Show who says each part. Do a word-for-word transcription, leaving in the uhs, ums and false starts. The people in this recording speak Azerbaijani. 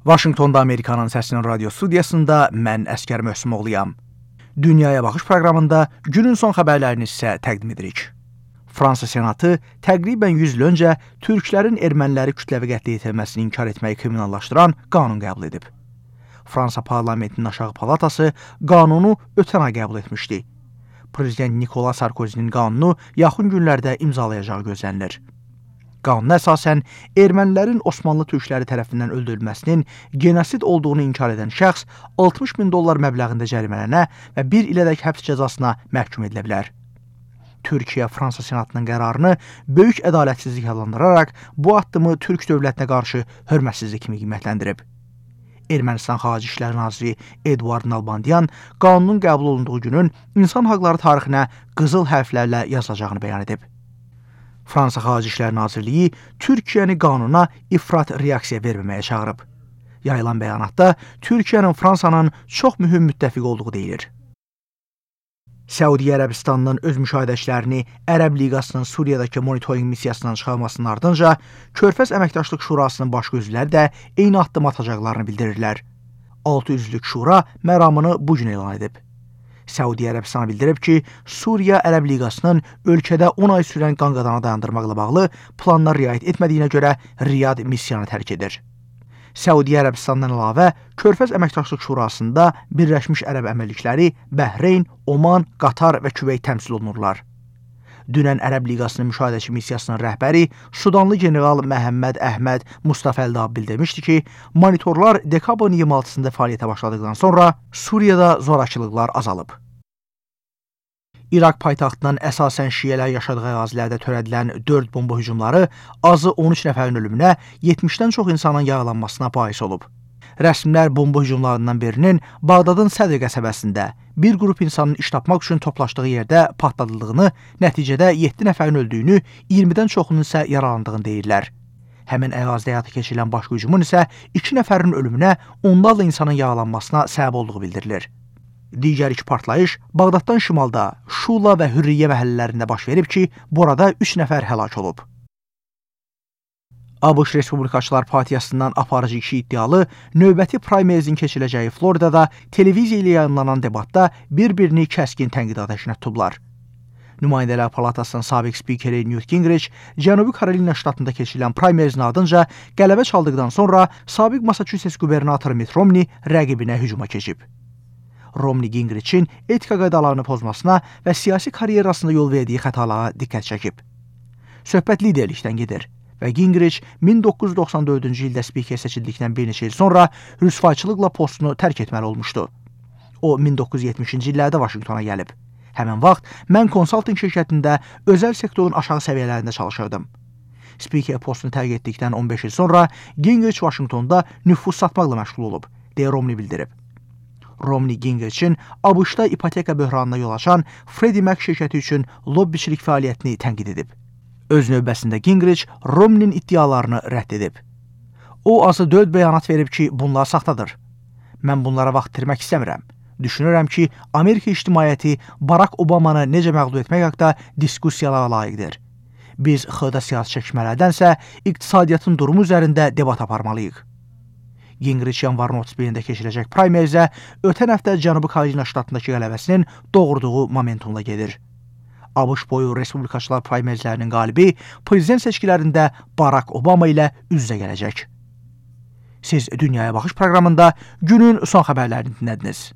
Speaker 1: Vaşinqtonda Amerikanın Səsinin radio studiyasında mən Əskər Möhsümoğluyam. Dünyaya Baxış proqramında günün son xəbərlərini sizə təqdim edirik. Fransa Senatı təqribən yüz il öncə türklərin erməniləri kütləvi qətlə yetirməsini inkar etməyi kriminallaşdıran qanun qəbul edib. Fransa parlamentinin aşağı palatası qanunu ötən ay qəbul etmişdi. Prezident Nikola Sarkozinin qanunu yaxın günlərdə imzalayacağı gözlənilir. Qanuna əsasən, ermənilərin Osmanlı türkləri tərəfindən öldürülməsinin genosid olduğunu inkar edən şəxs altmış min dollar məbləğində cərimələnə və bir ilədək həbs cəzasına məhkum edilə bilər. Türkiyə Fransa Senatının qərarını böyük ədalətsizlik adlandıraraq bu addımı Türk dövlətinə qarşı hörmətsizlik kimi qiymətləndirib. Ermənistan Xarici İşlər Naziri Eduard Nalbandian qanunun qəbul olunduğu günün insan haqları tarixinə qızıl hərflərlə yazılacağını bəyan edib. Fransa Xarici İşlər Nazirliyi Türkiyəni qanuna ifrat reaksiya verməməyə çağırıb. Yayılan bəyanatda Türkiyənin Fransanın çox mühüm müttəfiq olduğu deyilir. Səudiyyə Ərəbistanının öz müşahidəçilərini Ərəb Liqasının Suriyadakı monitorinq missiyasından çıxarmasının ardınca Körfəz Əməkdaşlıq Şurasının başqa üzvləri də eyni addım atacaqlarını bildirirlər. altı üzvlük şura məramını bu gün elan edib. Səudiyyə Ərəbistanı bildirib ki, Suriya Ərəb Liqasının ölkədə on ay sürən qanqadana dayandırmaqla bağlı planlar riayət etmədiyinə görə Riyad missiyanı tərk edir. Səudiyyə Ərəbistandan əlavə Körfəz Əməkdaşlıq Şurasında Birləşmiş Ərəb Əmirlikləri, Bəhreyn, Oman, Qatar və Küveyt təmsil olunurlar. Dünən Ərəb Liqasının müşahidəçi missiyasının rəhbəri Sudanlı general Məhəmməd Əhməd Mustafa Əldab bildirmişdi ki, monitorlar dekabrın iyirmi altısında fəaliyyətə başladıqdan sonra Suriyada zorakılıqlar azalıb. İraq paytaxtının əsasən şiələr yaşadığı ərazilərdə törədilən dörd bomba hücumları azı on üç nəfərin ölümünə, yetmişdən çox insanın yaralanmasına bais olub. Rəsmilər bomba hücumlarından birinin Bağdadın Sədr qəsəbəsində bir qrup insanın iş tapmaq üçün toplaşdığı yerdə partladıldığını, nəticədə yeddi nəfərin öldüyünü, iyirmidən çoxunun isə yaralandığını deyirlər. Həmin ərazidə həyata keçirilən başqa hücumun isə iki nəfərin ölümünə, onlarla insanın yaralanmasına səbəb olduğu bildirilir. Digər iki partlayış Bağdaddan şimalda Şula və Hürriyyə məhəllələrində baş verib ki, burada üç nəfər həlak olub. ABŞ Respublikaçılar Partiyasından aparıcı kişi iddialı növbəti primerizin keçiriləcəyi Floridada televiziya ilə yayınlanan debatda bir-birini kəskin tənqid atəşinə tutublar. Nümayəndələr Palatasının sabiq spikeri Newt Gingrich Cənubi Karolina ştatında keçirilən primerizin ardınca qələbə çaldıqdan sonra sabiq Massachusetts qubernatoru Mitt Romney rəqibinə hücuma keçib. Romney Gingrich'in etika qaydalarını pozmasına və siyasi karyerasında yol verdiyi xətalara diqqət çəkib. Söhbət liderlikdən gedir və Gingrich min doqquz yüz doxsan dördüncü ildə spiker seçildikdən bir neçə il sonra rüsvayçılıqla postunu tərk etməli olmuşdu. O, min doqquz yüz yetmişinci illərdə Vaşinqtona gəlib. Həmin vaxt mən konsalting şirkətində özəl sektorun aşağı səviyyələrində çalışırdım. Spiker postunu tərk etdikdən on beş il sonra Gingrich Vaşinqtonda nüfuz satmaqla məşğul olub, deyə Romney bildirib. Romney Gingrich'in ABŞ-da ipoteka böhranına yol açan Freddie Mac şirkəti üçün lobbiçilik fəaliyyətini tənqid edib. Öz növbəsində Gingrich Romney'nin iddialarını rədd edib. O azı dörd bəyanat verib ki, bunlar saxtadır. Mən bunlara vaxt itirmək istəmirəm. Düşünürəm ki, Amerika ictimaiyyəti Barack Obamanı necə məğlub etmək haqda diskussiyalara layiqdir. Biz xırda siyasi çəkişmələrdənsə iqtisadiyyatın durumu üzərində debat aparmalıyıq. Gingrich yanvarın otuz birində keçiriləcək primerizə ötən həftə Cənubi Karolina ştatındakı qələbəsinin doğurduğu momentumla gedir. ABŞ boyu Respublikaçılar primerizlərinin qalibi prezident seçkilərində Barack Obama ilə üz-üzə gələcək. Siz Dünyaya Baxış proqramında günün son xəbərlərini dinlədiniz.